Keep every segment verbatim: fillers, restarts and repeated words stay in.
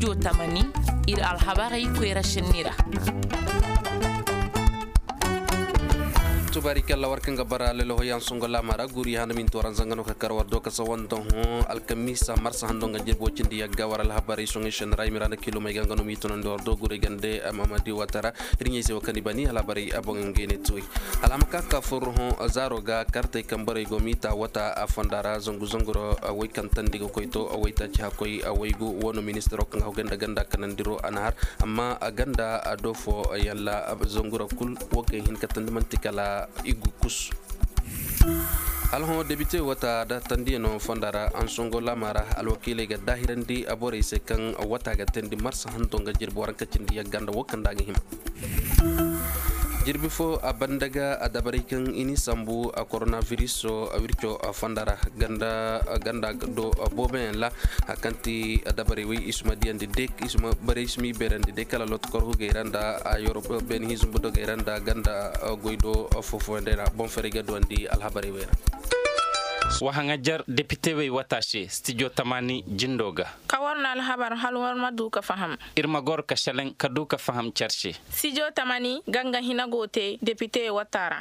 Studio tamani, iri alhabarey koyra sinni ra. Tubaarikalla, war kaŋ ga bara lalahoy yaŋ songo laama ra, guri handa min tooran zanga no ka kar war do ka sawan da hõ alkamiisa marsa hando nga jirbo cindi yagga war alhabarey soŋay sene ra i mi ra nda kilo may ga nga no mi tunandi war do guray gande. Mamadi watara iri ɲey se wo kaŋ i bani alhabarey a boŋ ngey ne tuwey. Alhama ka ka furru hõ zaaro ga kartey kaŋ borey go miita wata a fonda ra zangu zanguro way kaŋ tandi ga koy to waytaaci hakkoy waygu wano ministiro kaŋ ga hawgay nda ganda kanandiro a na har. Amma a ganda a do fo yalla zangura kul wo kaŋ hin ka tandi manti kala igu kus. Alhõ debite wata da tandiyano fonda ra ansongo laama ra alwakiiley ga daahirandi a borey se kaŋ wata ga tandi marsa hanto nga jirbi waranka cindi yagga nda wo kaŋ da a ga hima. Jirbi fo a banda ga a dabarey kaŋ i ni sambu a koronaviris a wirco a fonda ra ganda do booboyaŋ ra. Hari kaŋ ti dabarey way i si ma diyandi day i si ma baray i si m'i beerandi day kala loto kor hugey ra nda a yorob beene hinzumbu dogey ra nda ganda goy do foofoyaŋ day ra boŋ ferey ga duwandi alhabarey way ra. Wa haŋajer depite wey wata se stijo tamaani jindo ga. Ka war no alhabar hala war ma du ka faham. Iri ma goro ka seleŋ ka du ka faham care se. Stijo tamaani ganga hina go te depite wata ra.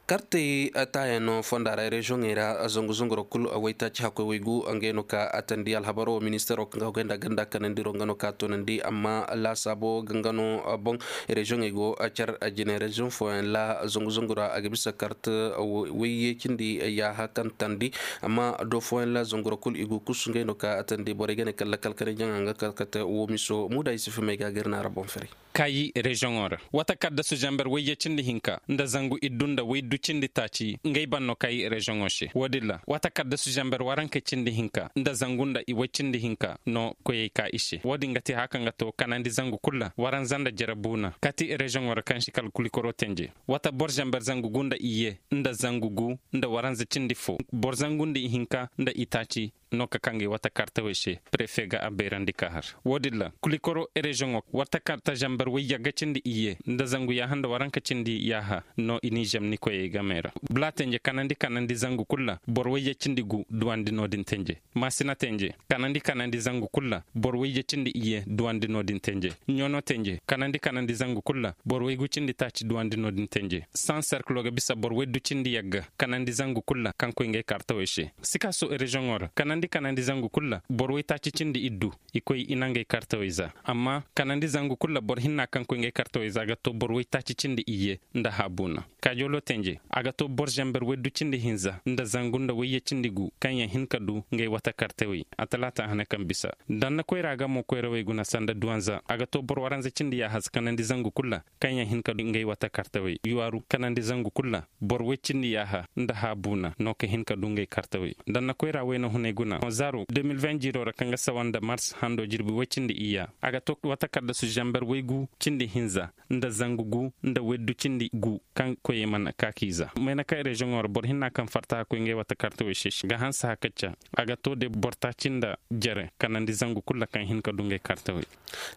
Kartey taayaŋ no fonda ra reziyoŋey ra zangu zanguro kulu waytaaci hakkoy waygu ngey no ka a tandi alhabaro ministero kaŋ ga hogay nda ganda kanandiro nga no ka toonandi amma laasaabo ganga no boŋ. Reziyoŋey go care jine reziyoŋ fooyaŋ ra zangu zangura a ga bisa karte wayye cindi yaaha kaŋ tandi. Amma do fooyaŋ ra zangura kulu i go kusu ngey no ka a tandi borey ga ne kala kala kanay jaŋa nga kala kate wo miso muuda i si fimey ga ga iri naara boŋ ferey. Kaayi reziyoŋo ra wata kaddasu zamber wayye cindi hinka nda zangu iddu nda waydu cindi taaci ngey ban no kaayi reziyoŋo se wo- din ra wata kaddasu zamber waranka cindi hinka nda zangu nda i way cindi hinka no koyey ka i se wo- din ga te haka nga to kanandi zangu kulu ra waranza nda jere buuna kati reziyoŋo ra kaŋ si kala kulikoro tenje. Wata boro zamber zangu gu nda iyye nda zangu gu nda waranza cindi fo boro zangu nda ihinka nda itaaci no ka kangey wata kartawey se. Prefe ga a bayrandi ka har wo- din ra kulikoro reziyoŋo wata karta zamber wayye ga cindi iyye nda zangu yaaha nda waranka cindi yaaha no i n'i zamni koyey game ra. Bula tenje kanandi kanandi zangu kulu ra boro wayye cindi gu duwandi no- din tenje. Maasina tenje kanandi kanandi zangu kulu ra boro wayye cindi iyye duwandi no- din tenje. Ɲoono tenje kanandi kanandi zangu kulu ra boro waygu cindi taaci duwandi no- din tenje. San serkilo ga bisa boro waydu cindi yagga kanandi zangu kulu ra kaŋ koy ngey kartawey se. Sikaso reziyoŋo ra kanandi kanandi zangu kulu ra boro waytaaci cindi iddu i koy i na ngey kartawey za. Amma kanandi zangu kulu ra boro hinna kaŋ koy ngey kartawey za ga to boro waytaaci cindi iyye nda haabuuna. Kaajoolo tenje a ga to boro zamber waydu cindi hinza nda zangu nda wayye cindi gu kaŋ yaŋ hin ka du ngey wata kartawey a talaata hane kaŋ bisa. Danna koyra ga mo koyrawey guna sanda duwanza a ga to boro waranza cindi yaaha kanandi zangu kulu ra kaŋ yaŋ hin ka du ngey wata kartawey yuwaaru kanandi zangu kulu ra. Boro way cindi yaaha nda haabuuna no ka hin ka du ngey kartawey danna koyra wayna hunay guna zaaro deux mille vingt jiiro ra kaŋ ga sawa nda mars hando jirbi way cindi iyya a ga to wata kaddasu zamber waygu cindi hinza nda zangu gu nda waydu cindi gu kaŋ koyey mana ka k'i za mayna kaŋ reziyoŋo ra boro hinna kaŋ farta ka koy ngey wata kartawey se ga hanse hakacca. A ga to de boro taaci nda jere kanandi zangu kulu ra kaŋ hin ka du ngey kartawey.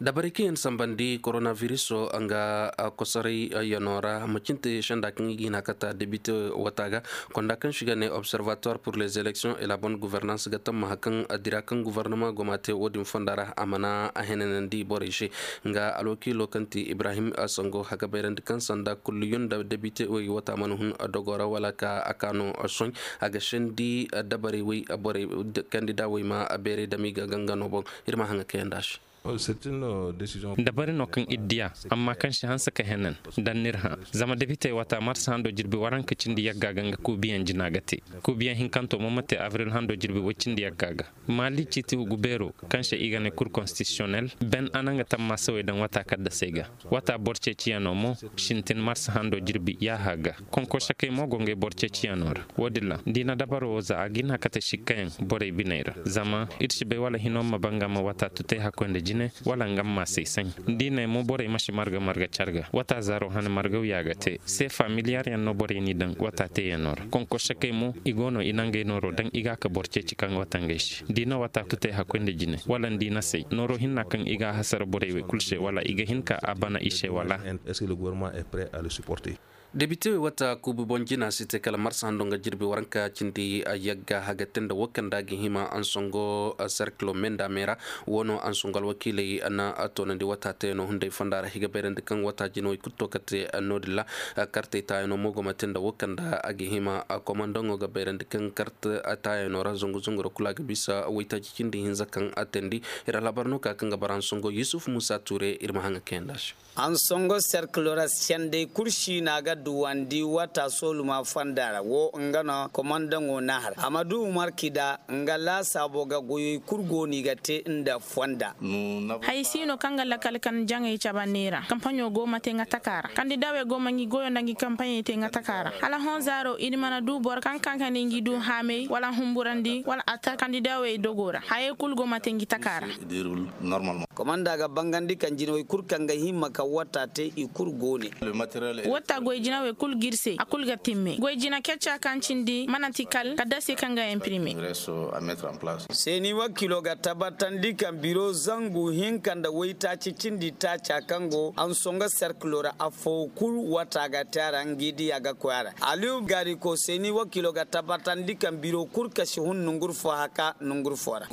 Dabarey kaŋ yaŋ sambandi koronaviriso nga kosoray yano ra ma cinte senda kaŋ i ga hina kata debite wata ga konda kaŋ si ga ne observatoire pour les élections et la bonne gouvernance ga tammaha kaŋ dira kaŋ gouvernement go ma te wo- din fonda ra a mana a henanandi borey se. Nga alwakiilo kaŋ ti ibrahim sango a ga bayrandi kaŋ sanda kulliyun da debite wey wata mana hun dogo ra wala ka a kaano sohõ a ga sendi dabarey wey borey kandida wey ma beeray dama i ga gangano boŋ. Iri ma haŋa kayanda se. Dabari no kaŋ iri diya amma kaŋ si hanse ka henan daŋ n'iri hã. Zama debitey wata marsa hando jirbi waranka cindi yagga ga nga kuubiyaŋ jina ga te. Kuubiyaŋ hinkanto mo ma te abril hando jirbi way cindi yagga ga. Maali ciiti hugu beero kaŋ se i ga ne kur konstitisiyonel ben a na nga tammaasawey daŋ wata kaddasey ga. Wata boro ceeciyaŋo mo sintin marsa hando jirbi yaaha ga. Konkorsakey mo go ngey boro ceeciyaŋo ra. Wo- din ra da i na dabaro wo za a ga hin a kate sikkayaŋ borey biney ra zama iri si bay wala hino ma ba nga ma wata tutay hakkoy nda jine wala nga ma maasey saŋ. Da i ne mo borey ma si marga marga care ga wata zaaro hane margaw ya ga te seefa miliyaryaŋ no borey n'i daŋ wata teeyaŋo ra. Konkorsakey mo i go no i na ngey nooro daŋ i ga a ka boro ceeci kaŋ ga wata ngey se da i na wata tutay hakkoy nda jine wala nda i na say nooro hinna kaŋ i ga a hasara borey wey kulu se wala i ga hin ka a bana i se wala. Debite wata kuubu boŋ jina si te kala marsa hando nga jirbi waranka cindi yagga haga te nda wo kaŋ da ga hima ansongo serkilo menda meera. Wo no ansongo alwakiiley na toonandi wata teeno hunday fonda ra i ga bayrandi kaŋ wata jina wo i kulu to kate no- din ra. Kartey taayano mo go ma te nda wo kaŋ da a ga hima komandaŋo ga bayrandi kaŋ karte taayano ra zangu zangu ra kulu a ga bisa waytaaci cindi hinza kaŋ a teendi. Iri alhabar no ka kaŋ ga bara ansongo yusuf musa tuure iri ma haŋ ga kayandi a se. Ansongo serkilo ra senday kulu siina ga duwandi wata sooluma fonda ra wo nga no komandaŋo na har amadu umar kida nga laasaabo ga goyey kulu go no i ga te nda fonda. Hay si no kaŋ ga lakkal kan jaŋey cabe neera kampaɲo go ma te nga taka ra kandidawey go ma ngi goyo nda ngi kampaɲey te nga taka ra hala hõ zaaro iri mana du boro kaŋ kaŋ ka ne ngi du haamey wala humburandi wala a ta kandidawey dogo ra hayey kulu go ma te ngi taka ra. Komanda ga bangandi kaŋ jinawey kulu kaŋ ga hima ka wata te i kulu go ne. Wata goy jinawey kulu g'iri se a kulu ga timme goy jina kecca kaŋ cindi mana ti kal ka dase kaŋ ga imprime. Seeni wakiilo ga tabbatandi kaŋ biro zangu hinka nda waytaaci cindi taaca kaŋ go ansongo serkilo ra afo kulu wata ga te a ra ngi diya ga koy a ra. Aliyu gariko seeni wakiilo ga tabbatandi kaŋ biro kulu kasi hun nonguru fo haka nonguru fo ra.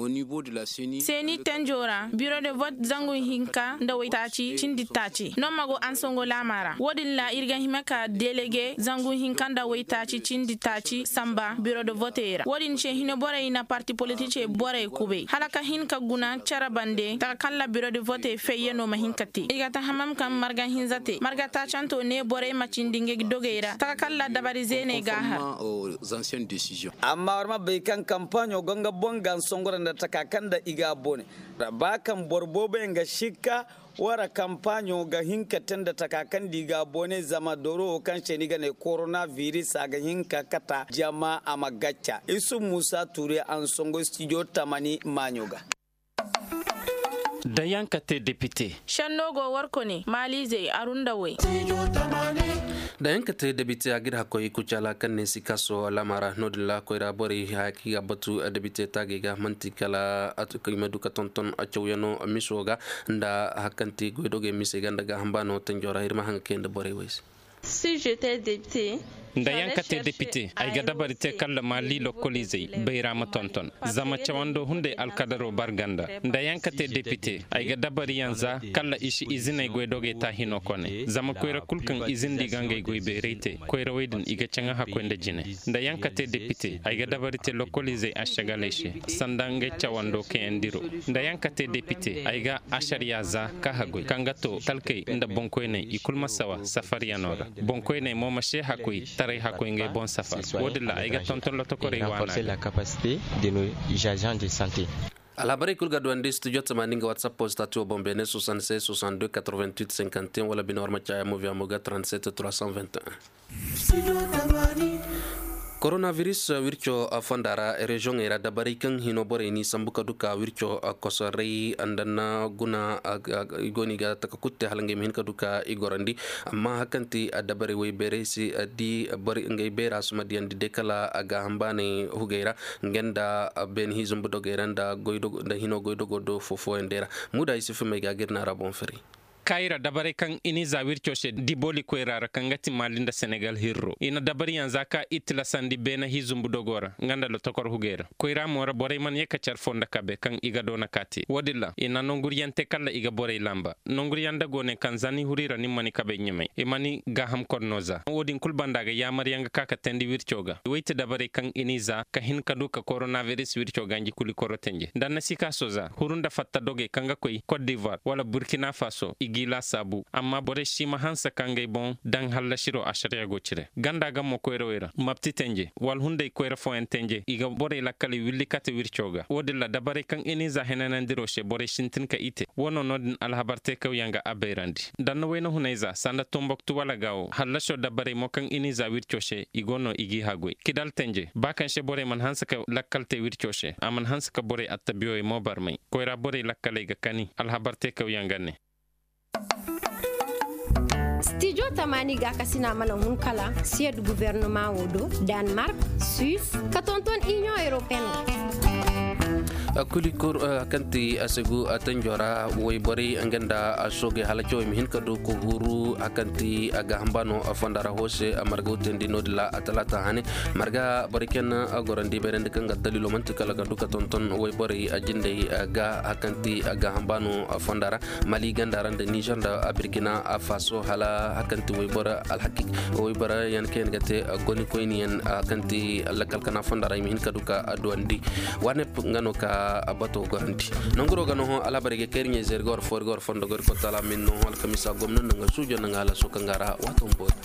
Seeni tenjo ra biro de vote zangu hinka nda waytaaci cindi taaci no ma go ansongo laama ra wo- din ra iri ga hima ka delege zangu hinka nda waytaaci cindi taaci samba biro de vote ra wo- din se hino borey na parti politique borey kubay hala ka hin ka guna care bande taka kaŋ ra biro de vote fayyaŋo ma hin ka te i ga tahamam kaŋ marga hinza te marga taacanto ne borey ma cindi ngey dogey ra taka kaŋ ra dabari zeeney ga a har. Amma war ma bay kaŋ kampaaɲo go nga boŋ ga nsongora nda taka kaŋ nda i ga a bone. Ba kaŋ boro boobo yaŋ ga sikka wara kampaaɲo ga hin ka te nda taka kaŋ nda i ga a bone zama dooro wo kaŋ se ni ga ne korona viris a ga hin ka kata jama a ma gacca isu musa ture ansongo studio tamani maaɲo ga. Dayaŋ ka te depite. Senno go warko ne maaliizey arunda way. Da yaŋ ka te debite a ga iri hakkoy kucaala kaŋ ne sikaso laama ra no- din ra koyra borey haya kaŋ i ga batu debite taagey ga manti kala i ma du ka tonton cawyaŋo miso ga nda hari kaŋ ti goydogey misey ga nda gaaham baano tanjo ra iri ma haŋ ga kay nda borey way se. Nda yaŋ ka te depite ay ga dabari te kala maali lokkoliizey bayra ma tonton. Zama cawando hunday alkadaro barganda nda yaŋ ka te depite ay ga dabari yaŋ za kala i si iziney goy dogey ta hino kone zama koyra kulu kaŋ izin di ga ngey goy beeray te koyrawey din i ga caŋa hakkoy nda jine. Nda yaŋ ka te depite ay ga dabari te lokkoliizey ašagaley se sanda ngey cawando kayandiro. Nda yaŋ ka te depite ay ga ašariya za ka hagoy kaŋ ga to talkey nda boŋkoyney i kulu ma sawa safaryaŋo ra. Boŋkoyney mo ma se hakkoy taray hakkoy ngey boŋ safar. Wo- din ra ay ga tonton lotokorey waana. Alhabarey kulu ga duwandi studio tamaani nga whatsapp postatiyo boŋ beene soixante-seize soixante-deux quatre-vingt-huit cinquante et un wala bine war ma caaya mo viya mo ga trente-sept trois cent vingt et un. Koronaviris wirco fonda ra reziyoŋey ra dabarey kaŋ hino borey n'i sambu ka du ka wirco kosoray nda na guna i go no i ga taka kulu te hala ngey ma hin ka du ka i gorandi. Amma hari kaŋ ti dabarey waybeerey si di ngey beera si ma diyandi day kala gaaham baanay hugey ra nga nda beene hizumbu dogey ra nda hino goydogo do fo fooyaŋ day ra. Muuda yusufu may ga ga iri naara boŋ firay. Kaayira dabarey kaŋ i n'i za wirco se diboli koyra ra kaŋ ga ti maali nda senegal hirro i na dabariyaŋ za ka i tilasandi beene hizumbu dogo ra nga nda lotokor hugey ra koyra mo ra borey mana ye ka care fo nda kabe kaŋ i ga doona ka te wo- din ra i na nonguriyaŋ te kala i ga borey lamba. Nonguriyaŋ da go ne kaŋ za ni huri ra ni mana ni kabey ɲumay i mana ni gaaham kor no za wo- din kulu banda ga yaamaryaŋ ga ka ka teendi wirco ga way ti dabarey kaŋ i n'i za ka hin ka du ka koronaviris wirco ganji kulu i koro tenje nda ni na sikaaso za huru nda fatta dogey kaŋ ga koy kot divoir wala burkina faso i g'i laasaabu amma borey si ma hanse ka ngey boŋ daŋ hallasiro ašariya go cire ganda ga mo koyrawey ra mapti tenje wala hunday koyra fooyaŋ tenje i ga borey lakkaley willi kate wirco ga wo- din ra dabarey kaŋ i n'i za henanandiro se borey sintin ka i te wo no no- din alhabar teekawyaŋ ga a bayrandi. Nda ni na wayna hunay za sanda tomboktu wala gaawo hallaso dabarey mo kaŋ i n'i za wirco se i go no i g'i haggoy kidal tenje ba kaŋ se borey mana hanse ka lakkal te wirco se a mana hanse ka borey attabiyowey mo barmay koyra borey lakkaley ga kani alhabar teekawyaŋ ga ne. Stijo tamaani gaakasina mana hun kala siyad guvernama wo do, danmark, suis ka tonton inion europeen. Kulikur, kaŋ ti a segu tanjo ra, wayborey nga nda soogey hala cawey ma hin ka du ka huru, kaŋ ti a gaaham baano fonda ra hoose margaw teendi no-din ra talaata hane. Marga borey kaŋ yaŋ gorandi bayrandi kaŋ ga daliilo manti kala ka du ka tonton wayborey jindey ga, kaŋ ti a gaaham baano fonda ra. Mali ganda ra nda nizer nda birkina faso hala, kaŋ ti wayboro alhaki wayboro yaŋ kaŋ yaŋ ga te goni koyni yaŋ, kaŋ ti lakkal kana fonda ra i ma hin ka du ka duwandi. Wanep nga no ka bato gorandi. Nanguro ga no hõ alhabarey ga kayri ɲey zeeri ga war foori ga war fondo ga war kotaala min no hõ alkamisa gomno nda nga suujo nda nga halaso kaŋ ga ra waato boori.